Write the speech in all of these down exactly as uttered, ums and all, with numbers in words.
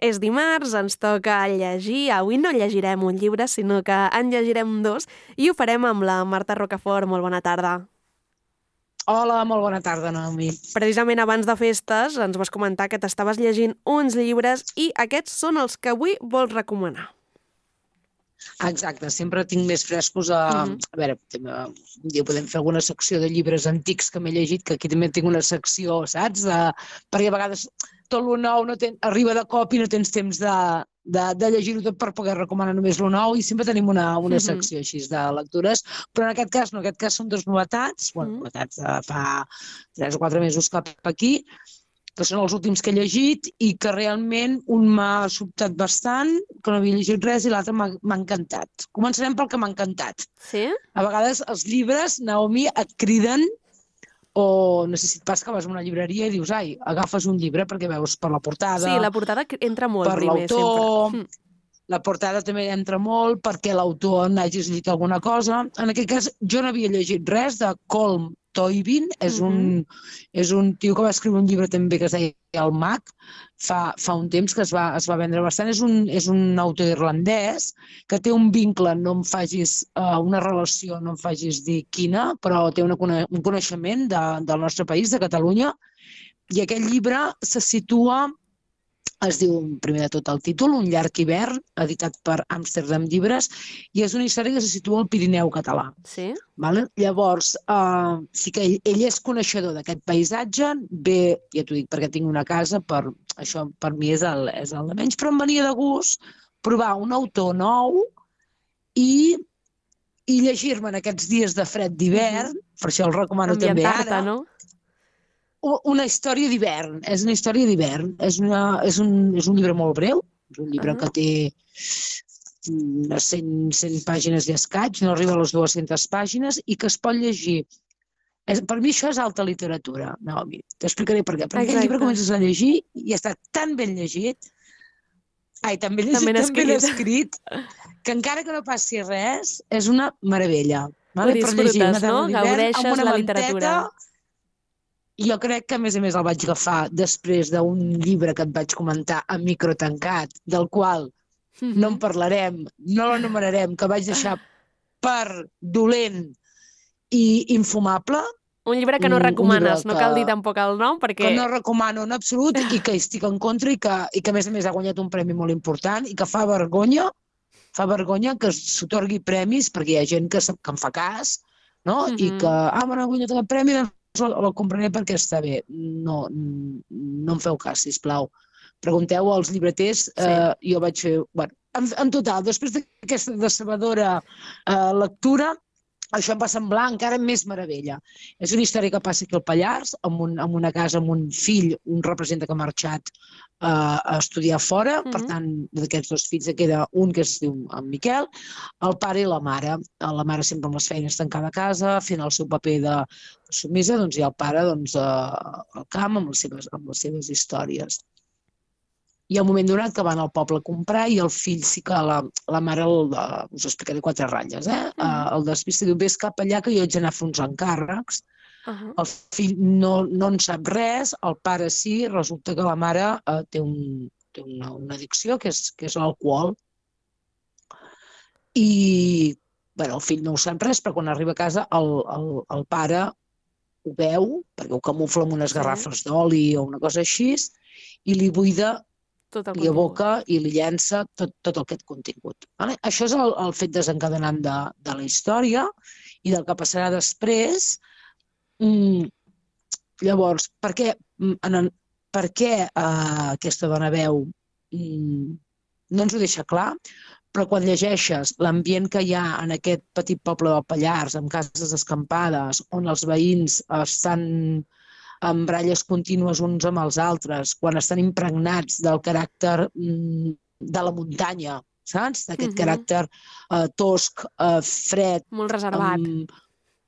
És dimarts, ens toca llegir. Avui no llegirem un llibre, sinó que en llegirem dos i ho farem amb la Marta Rocafort. Molt bona tarda. Hola, molt bona tarda, Naomi. Precisament abans de festes ens vas comentar que t'estaves llegint uns llibres i aquests són els que avui vols recomanar. Exacte, sempre tinc més frescos a... Uh-huh. A veure, un dia podem fer alguna secció de llibres antics que m'he llegit, que aquí també tinc una secció, saps? Uh, perquè a vegades tot lo nou no ten... arriba de cop i no tens temps de, de, de llegir-ho tot per poder recomanar només lo nou i sempre tenim una, una secció així de lectures, però en aquest cas no, en aquest cas són dues novetats, bueno, novetats de fa tres o quatre mesos cap aquí, que són els últims que he llegit i que realment un m'ha sobtat bastant, que no havia llegit res, i l'altre m'ha encantat. Començarem pel que m'ha encantat. Sí? A vegades els llibres, Naomi, et criden o no sé si et passa que vas a una llibreria i dius, ai, agafes un llibre perquè veus per la portada... Sí, la portada entra molt per primer, l'autor, sempre. La portada també entra molt perquè l'autor n'hagis llegit alguna cosa. En aquest cas, jo no havia llegit res de Colm Toibin, és, uh-huh. un, és un tio que va escriure un llibre també que es deia El Mag, fa, fa un temps que es va, es va vendre bastant. És un, és un autor irlandès que té un vincle, no em facis uh, una relació, no em facis dir quina, però té una, un coneixement de, del nostre país, de Catalunya, i aquest llibre se situa... Es diu, primer de tot, el títol, Un llarg hivern, editat per Amsterdam Llibres, i és una història que se situa al Pirineu català. Sí? Vale? Llavors, uh, sí que ell, ell és coneixedor d'aquest paisatge, bé, ja t'ho dic, perquè tinc una casa, per, això per mi és el, és el de menys, però em venia de gust provar un autor nou i, i llegir-me en aquests dies de fred d'hivern, mm-hmm. per això el recomano també ara, no? Una història d'hivern, és una història d'hivern, és, una, és, un, és un llibre molt breu, és un llibre uh-huh. que té unes cent, cent pàgines i escaig, no arriba a les dues-centes pàgines i que es pot llegir. És, per mi això és alta literatura, Naomi. T'explicaré per què. Perquè Exacte. El llibre comences a llegir i està tan ben llegit, ai, tan ben llegit, tan ben escrit, que encara que no passi res, és una meravella. Vale? Ho disfrutes, no? Gaudeixes la literatura. Jo crec que, a més a més, el vaig agafar després d'un llibre que et vaig comentar a micro tancat, del qual mm-hmm. no en parlarem, no l'anomenarem, que vaig deixar per dolent i infumable. Un llibre que no recomanes, que, no cal dir tampoc el nom, perquè... Que no recomano en absolut i que estic en contra i que, i que a més a més, ha guanyat un premi molt important i que fa vergonya, fa vergonya que s'atorgui premis, perquè hi ha gent que, que en fa cas, no? Mm-hmm. I que, ah, bueno, ha guanyat el premi, doncs el compraré perquè està bé. No, no em feu cas, sisplau. Pregunteu als llibreters, sí. eh, jo vaig fer... Bueno, en, en total, després d'aquesta decebedora eh, lectura, això em va semblar encara més meravella. És una història que passa aquí al Pallars, amb, un, amb una casa, amb un fill, un representa que ha marxat eh, a estudiar fora, mm-hmm. per tant, d'aquests dos fills queda un que es diu en Miquel, el pare i la mare. La mare sempre amb les feines tancada a casa, fent el seu paper de submisa, doncs, i el pare doncs, eh, al camp amb les, seves, amb les seves històries. Hi ha un moment donat que van al poble a comprar i el fill sí que la, la mare, el, us explicaré quatre ratlles, eh? Uh -huh. El despista diu, vés cap allà que jo haig d'anar a fer uns encàrrecs. Uh -huh. El fill no, no en sap res, el pare sí, resulta que la mare eh, té, un, té una, una addicció que és, que és l'alcohol. I bueno, el fill no ho sap res, però quan arriba a casa el, el, el pare ho veu, perquè ho camufla amb unes garrafes d'oli o una cosa així, i li buida, li aboca i li llença tot, tot aquest contingut. Vale? Això és el, el fet desencadenant de, de la història i del que passarà després. Mm, llavors, per què, en, per què eh, aquesta dona veu mm, no ens ho deixa clar, però quan llegeixes l'ambient que hi ha en aquest petit poble del Pallars, amb cases escampades, on els veïns estan en baralles contínues uns amb els altres, quan estan impregnats del caràcter mm, de la muntanya, saps? D'aquest uh-huh. caràcter eh, tosc, eh, fred... Molt reservat. Um,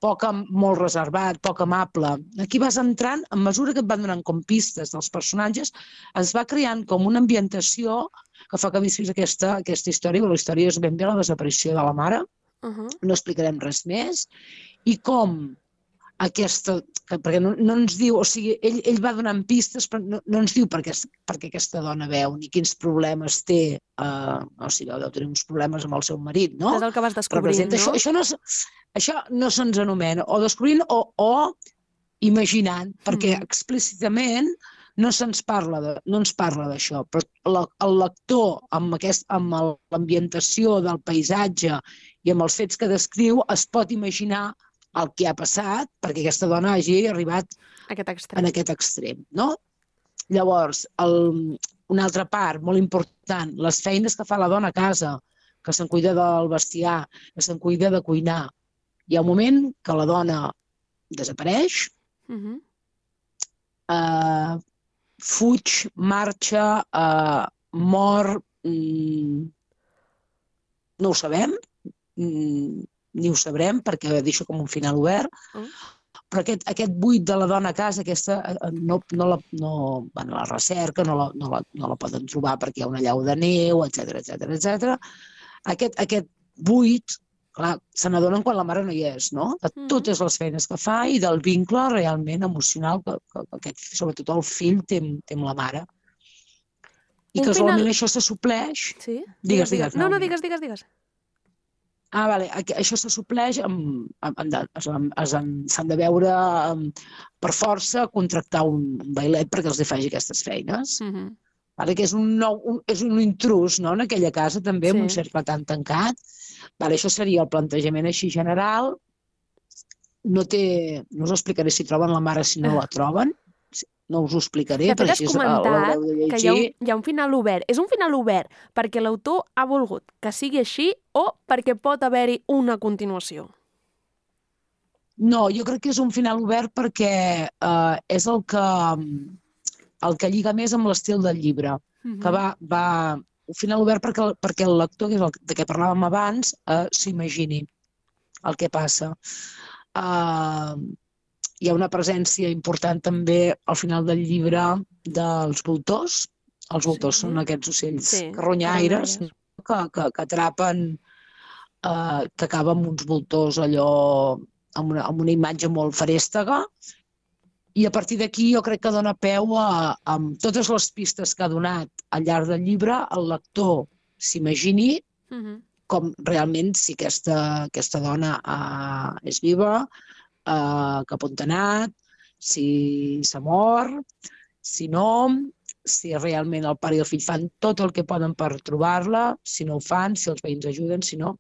poc, molt reservat, poc amable. Aquí vas entrant, a mesura que et van donant com pistes dels personatges, es va creant com una ambientació que fa que visquis aquesta, aquesta història, però la història és ben bé la desaparició de la mare, uh-huh. no explicarem res més, i com aquesta... Que, perquè no, no ens diu... O sigui, ell, ell va donant pistes, però no, no ens diu per què, per què aquesta dona veu, ni quins problemes té. Uh, o sigui, deu tenir uns problemes amb el seu marit, no? Això és el que vas descobrint, no? Això, això no, això no se'ns anomena. O descobrint o, o imaginant, perquè mm. explícitament no se'ns parla de, no ens parla d'això, però la, el lector amb, aquest, amb l'ambientació del paisatge i amb els fets que descriu es pot imaginar el que ha passat perquè aquesta dona hagi arribat aquest extrem. en aquest extrem, no? Llavors, el, una altra part molt important, les feines que fa la dona a casa, que se'n cuida del bestiar, que se'n cuida de cuinar. Hi ha un moment que la dona desapareix, uh-huh. eh, fuig, marxa, eh, mor, mm, no ho sabem, mm, ni ho sabrem perquè deixa com un final obert, uh. però aquest, aquest buit de la dona a casa, aquesta, no, no, la, no bueno, la recerca, no la, no, la, no la poden trobar perquè hi ha una llau de neu, etcètera, etcètera, etcètera. Aquest, aquest buit, clar, se n'adonen quan la mare no hi és, no? De totes les feines que fa i del vincle realment emocional que, que, que aquest, sobretot el fill té, té amb la mare. I un casualment final... això se supleix... Sí? Digues, digues. digues no, no, digues, digues, digues. Ah, vale. Això se supleix, amb, amb, amb, s'han de veure amb, per força contractar un, un bailet perquè els faci aquestes feines. Uh-huh. Vale? Que és un, nou, un, és un intrus, no?, en aquella casa també, sí. Amb un cercle tan tancat. Vale, això seria el plantejament així general. No, té, no us explicaré si troben la mare, si no la troben. No us ho explicaré. De fet, has comentat que hi ha, un, hi ha un final obert. És un final obert perquè l'autor ha volgut que sigui així o perquè pot haver-hi una continuació? No, jo crec que és un final obert perquè eh, és el que, el que lliga més amb l'estil del llibre. Uh-huh. Que va, va, un final obert perquè, perquè el lector, que és el de què parlàvem abans, eh, s'imagini el que passa. Eh... Hi ha una presència important també al final del llibre dels voltors. Els voltors sí. Són aquests ocells sí. carronyaires que, que, que atrapen, eh, que acaben amb uns voltors allò amb una, amb una imatge molt farèstega. I a partir d'aquí jo crec que dona peu a, amb totes les pistes que ha donat al llarg del llibre, el lector s'imagini uh-huh. com realment si aquesta, aquesta dona eh, és viva, Uh, cap on ha anat, si s'ha mort, si no, si realment el pare i el fill fan tot el que poden per trobar-la, si no ho fan, si els veïns ajuden, si no.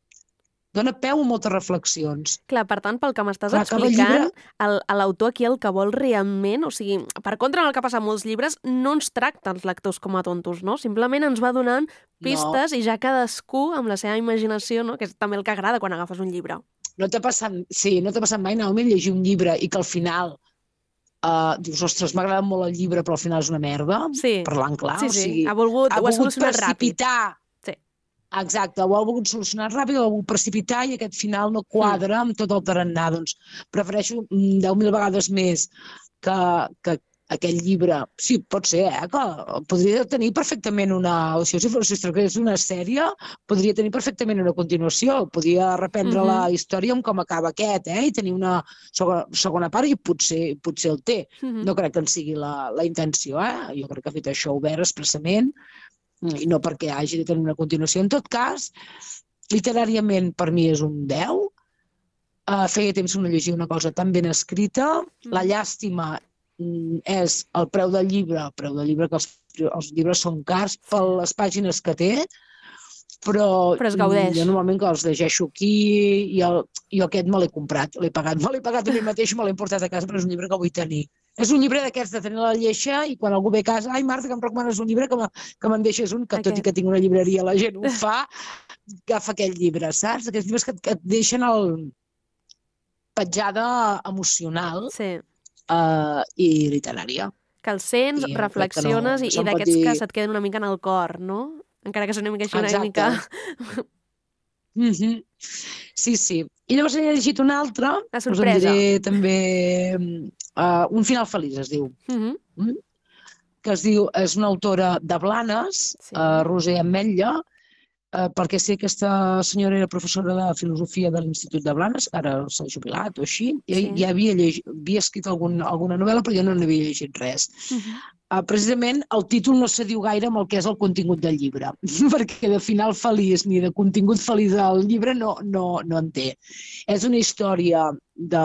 Dona peu a moltes reflexions. Clar, per tant, pel que m'estàs explicant, llibre... l'autor aquí el que vol realment, o sigui, per contra del que passa en molts llibres, no ens tracta els lectors com a tontos, no? Simplement ens va donant pistes no. I ja cadascú amb la seva imaginació, no? Que és també el que agrada quan agafes un llibre. No t'ha passat, sí, no t'ha passat mai, Naomi, llegir un llibre i que al final uh, dius, ostres, m'ha agradat molt el llibre, però al final és una merda, sí. Parlant clar. Sí, sí, o sigui, ha volgut, ha ho ha volgut solucionat precipitar. Ràpid. Sí. Exacte, ho ha volgut solucionar ràpid, ho ha volgut precipitar i aquest final no quadra mm. amb tot el tarannà. Doncs prefereixo deu mil vegades més que, que aquell llibre. Sí, pot ser, eh, que podria tenir perfectament una... O sigui, si fos si una sèrie, podria tenir perfectament una continuació. Podria reprendre mm-hmm. la història amb com acaba aquest, eh, i tenir una segona, segona part i potser, potser el té. Mm-hmm. No crec que en sigui la, la intenció, eh? Jo crec que ha fet això obert expressament i no perquè hagi de tenir una continuació. En tot cas, literàriament per mi és un deu. Uh, feia temps que no llegia una cosa tan ben escrita. Mm. La llàstima és el preu del llibre, el preu del llibre que els, els llibres són cars per les pàgines que té, però, però es gaudeix. Jo normalment que els llegeixo aquí i el, jo aquest me l'he comprat, l'he pagat, me l'he pagat a mi mateix, me l'he portat a casa, però és un llibre que vull tenir. És un llibre d'aquests de tenir la lleixa i quan algú ve a casa, ai Marta, que em recomanes un llibre, que, me, que me'n deixes un, que okay. Tot i que tinc una llibreria la gent ho fa, agafa aquell llibre, saps? Aquests llibres que, que et deixen el petjada emocional. Sí. Uh, i literària. Que el sents, I reflexiones no, i, i d'aquests dir... que se't queden una mica en el cor, no? Encara que són una mica així, una mica... mm-hmm. Sí, sí. I llavors he llegit una altra, la sorpresa. Us en diré també uh, Un final feliç, es diu. Mm-hmm. Mm? Que es diu, és una autora de Blanes, sí. uh, Roser Ametlla, eh, perquè sé que aquesta senyora era professora de filosofia de l'Institut de Blanes, ara s'ha jubilat o així, i Sí. ja havia, llegit, havia escrit algun, alguna novel·la, però jo no n'havia llegit res. Mhm. Uh, precisament el títol no se diu gaire amb el que és el contingut del llibre, perquè de final feliç ni de contingut feliç del llibre no, no, no en té. És una història de...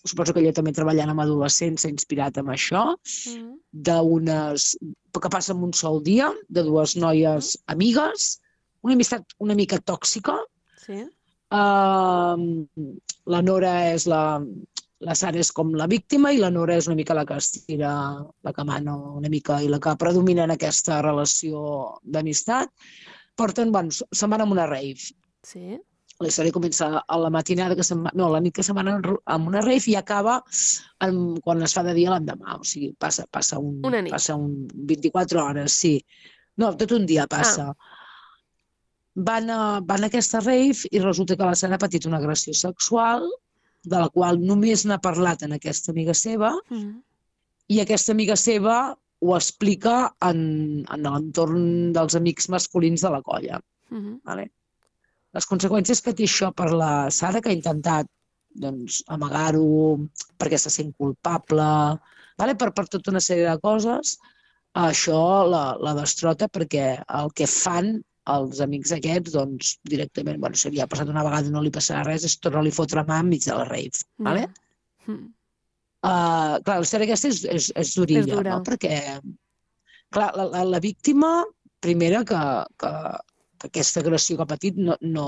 Suposo que ella també treballant amb adolescents s'ha inspirat en això, Mhm. d'unes... que passa en un sol dia, de dues noies amigues, una amistat una mica tòxica. Sí. Uh, la Nora és la... La Sara és com la víctima i la Nora és una mica la que estira, la que mana una mica i la que predomina en aquesta relació d'amistat. Porten, bueno, se'n van a una rave. Sí. La història comença a la matinada, que se'n va, no, a la nit que se'n van a una rave i acaba en, quan es fa de dia l'endemà. O sigui, passa, passa, un, Una nit. passa un vint-i-quatre hores, sí. No, tot un dia passa. Ah. Van, a, van a aquesta rave i resulta que la Sara ha patit una agressió sexual de la qual només n'ha parlat en aquesta amiga seva, Mhm. i aquesta amiga seva ho explica en, en l'entorn dels amics masculins de la colla. Mhm. Vale? Les conseqüències que té això per la Sara, que ha intentat doncs, amagar-ho perquè se sent culpable, vale? per, per tota una sèrie de coses, això la, la destrota perquè el que fan els amics aquests, doncs, directament, bueno, si havia passat una vegada i no li passarà res, és tornar-li a fotre mà enmig de la rave. Ja. Vale? Mhm. Uh, clar, la història aquesta és, és, és durilla, És dura. no? Perquè clar, la, la, la víctima, primera, que, que, que aquesta agressió que ha patit no, no,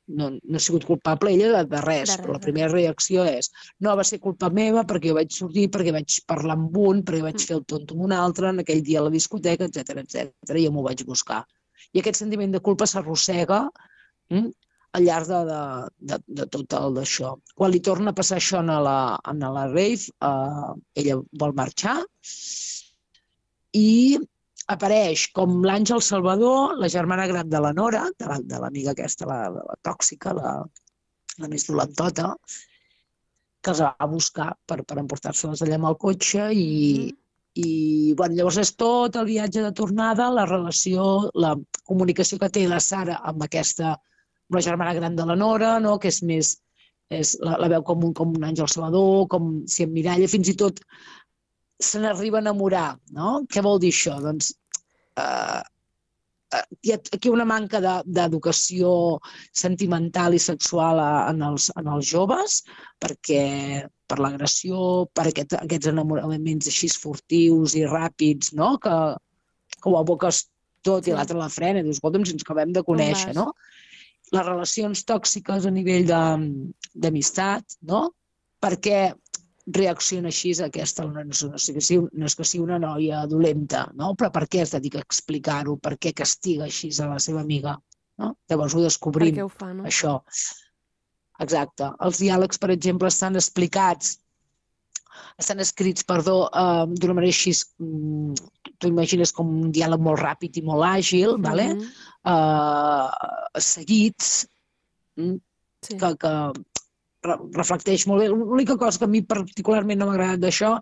no, no ha sigut culpable ella de, de res, De res, però la de primera reacció és no, va ser culpa meva perquè jo vaig sortir, perquè vaig parlar amb un, perquè vaig Mm. fer el tonto amb un altre, en aquell dia a la discoteca, etcètera, etcètera, i jo m'ho vaig buscar. I aquest sentiment de culpa s'arrossega mm, al llarg de, de, de, de tot el d'això. Quan li torna a passar això en la, en la rave, eh, ella vol marxar i apareix com l'Àngel Salvador, la germana gran de la Nora, de la- de l'amiga aquesta, la, la, la tòxica, la, la més dolentota, que els va a buscar per, per emportar-se-les allà amb el cotxe i, Mhm. i bueno, llavors és tot el viatge de tornada, la relació, la comunicació que té la Sara amb aquesta, amb la germana gran de la Nora, no? Que és més, és, la, la veu com un, com un àngel salvador, com si emmiralla, fins i tot se n'arriba a enamorar, no? Què vol dir això? Doncs eh, eh, hi ha aquí una manca de- d'educació sentimental i sexual a, en, els, en els joves, perquè per l'agressió, per aquest, aquests enamoraments així furtius i ràpids, no? que, que ho aboques tot Sí. i l'altre la frena i dius, escolta'm, si ens acabem de conèixer, vas? no? Les relacions tòxiques a nivell de- d'amistat, no? Per què reacciona així a aquesta? No és, no, és que sigui, no és que sigui una noia dolenta, no? Però per què es dedica a explicar-ho? Per què castiga així a la seva amiga? No? Llavors ho Per descobrim, què ho fa, no? això. Exacte. Els diàlegs, per exemple, estan explicats, estan escrits, perdó, eh, d'una manera així, mm, tu imagines com un diàleg molt ràpid i molt àgil, vale? Mhm. eh, seguits, mm, Sí. que, que re- reflecteix molt bé. L'única cosa que a mi particularment no m'ha agradat d'això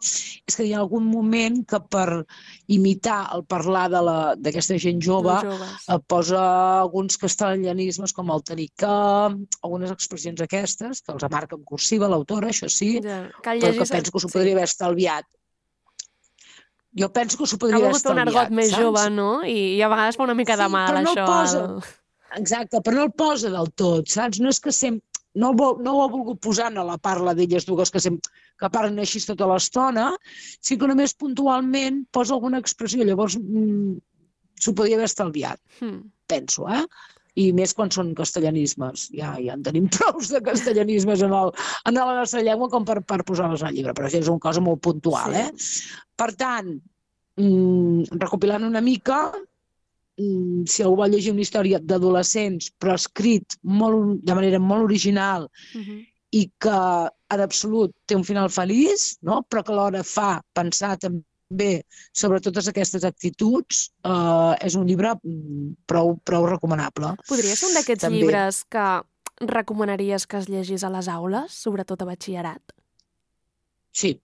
és que hi ha algun moment que per imitar el parlar de la- d'aquesta gent jove Els joves. eh, posa alguns castellanismes com el tenir que, algunes expressions aquestes, que els marca en cursiva l'autora, això sí, Ja. Cal però que llegir... penso que s'ho sí. podria haver estalviat. Jo penso que s'ho Ha podria haver volgut fer un estalviat, argot més saps? jove, no? I, I a vegades fa una mica de Sí, mal, però no el això. posa. al- Exacte, però no el posa del tot, saps? No és que sempre... No, el vol, no ho ha volgut posar a la parla d'elles dues que, sempre, que parlen així tota l'estona, sí que només puntualment posa alguna expressió. Llavors mm, s'ho podria haver estalviat, Hmm. penso, eh? I més quan són castellanismes. Ja, ja en tenim prous de castellanismes en, el, en la nostra llengua com per, per posar-los al llibre, però això és una cosa molt puntual, Sí. eh? Per tant, mm, recopilant una mica, mm, si algú vol llegir una història d'adolescents, però escrit molt, de manera molt original Mhm. i que en absolut té un final feliç, no? Però que alhora fa pensar també sobre totes aquestes actituds, eh, és un llibre mm, prou, prou recomanable. Podria ser un d'aquests També. llibres que recomanaries que es llegís a les aules, sobretot a batxillerat? Sí,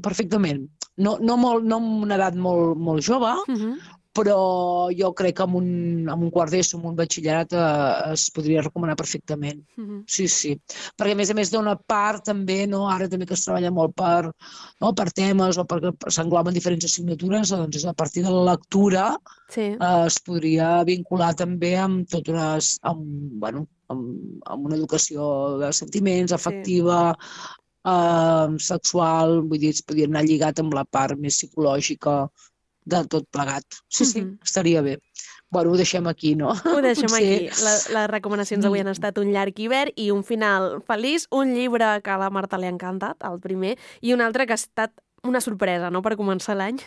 perfectament. No, no, molt, no amb una edat molt, molt jove, Mhm. però jo crec que amb un, amb un quart d'ESO, amb un batxillerat, eh, es podria recomanar perfectament. Mhm. Sí, sí. Perquè, a més a més, d'una part també, no? Ara també que es treballa molt per, no? per temes o perquè s'engloben diferents assignatures, doncs és a partir de la lectura Sí. eh, es podria vincular també amb tot unes, amb, bueno, amb, amb una educació de sentiments, afectiva, eh, sexual, vull dir, es podria anar lligat amb la part més psicològica de tot plegat. Sí, sí, Mhm. estaria bé. Bueno, ho deixem aquí, no? Ho deixem Potser- aquí. La, les recomanacions avui han estat un llarg hivern i un final feliç, un llibre que a la Marta li ha encantat, el primer, i un altre que ha estat una sorpresa, no?, per començar l'any.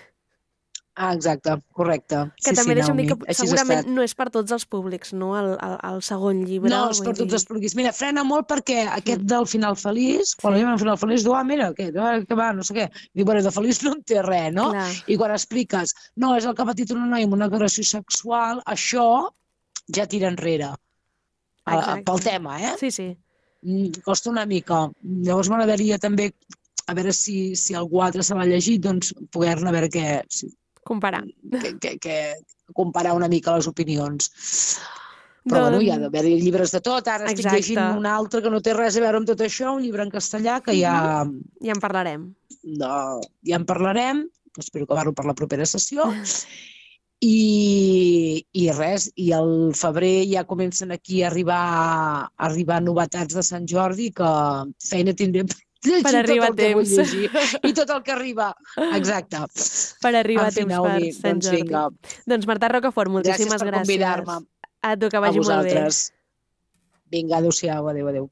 Ah, exacte, correcte. Que sí, també sí, deixa'm dir Naomi, que així ha segurament estat. no és per tots els públics, no?, el, el, el segon llibre. No, és vull per tots dir- els públics. Mira, frena molt perquè aquest Mm. del final feliç, quan Sí. la gent al final feliç, diu, ah, mira, aquest, ah, que va, no sé què. Diu, bueno, de feliç no en té res, no? Clar. I quan expliques, no, és el que ha patit una noia amb una agressió sexual, això ja tira enrere. A, Exacte. pel tema, eh? Sí, sí. Mm, costa una mica. Llavors m'agradaria també, a veure si, si algú altre se l'ha llegit, doncs poder-ne a veure què, si, Comparar. que, que, que comparar una mica les opinions. Però Doncs- bueno, hi ha d'haver llibres de tot. Ara estic Exacte. llegint un altre que no té res a veure amb tot això, un llibre en castellà que ja, Ja en parlarem. no, ja en parlarem, espero acabar-lo per la propera sessió. I, i res, i al febrer ja comencen aquí a arribar, a arribar novetats de Sant Jordi que feina tindrem per llegir Per arribar tot el que vull a temps. llegir. I tot el que arriba. Exacte. Per arribar En a fi, temps Naomi, per Sant doncs Jordi. vinga. Doncs Marta Rocafort, moltíssimes Gràcies per gràcies. convidar-me. A tu, que A vagi molt bé. vosaltres. Vinga, adéu-siau, adéu, adéu.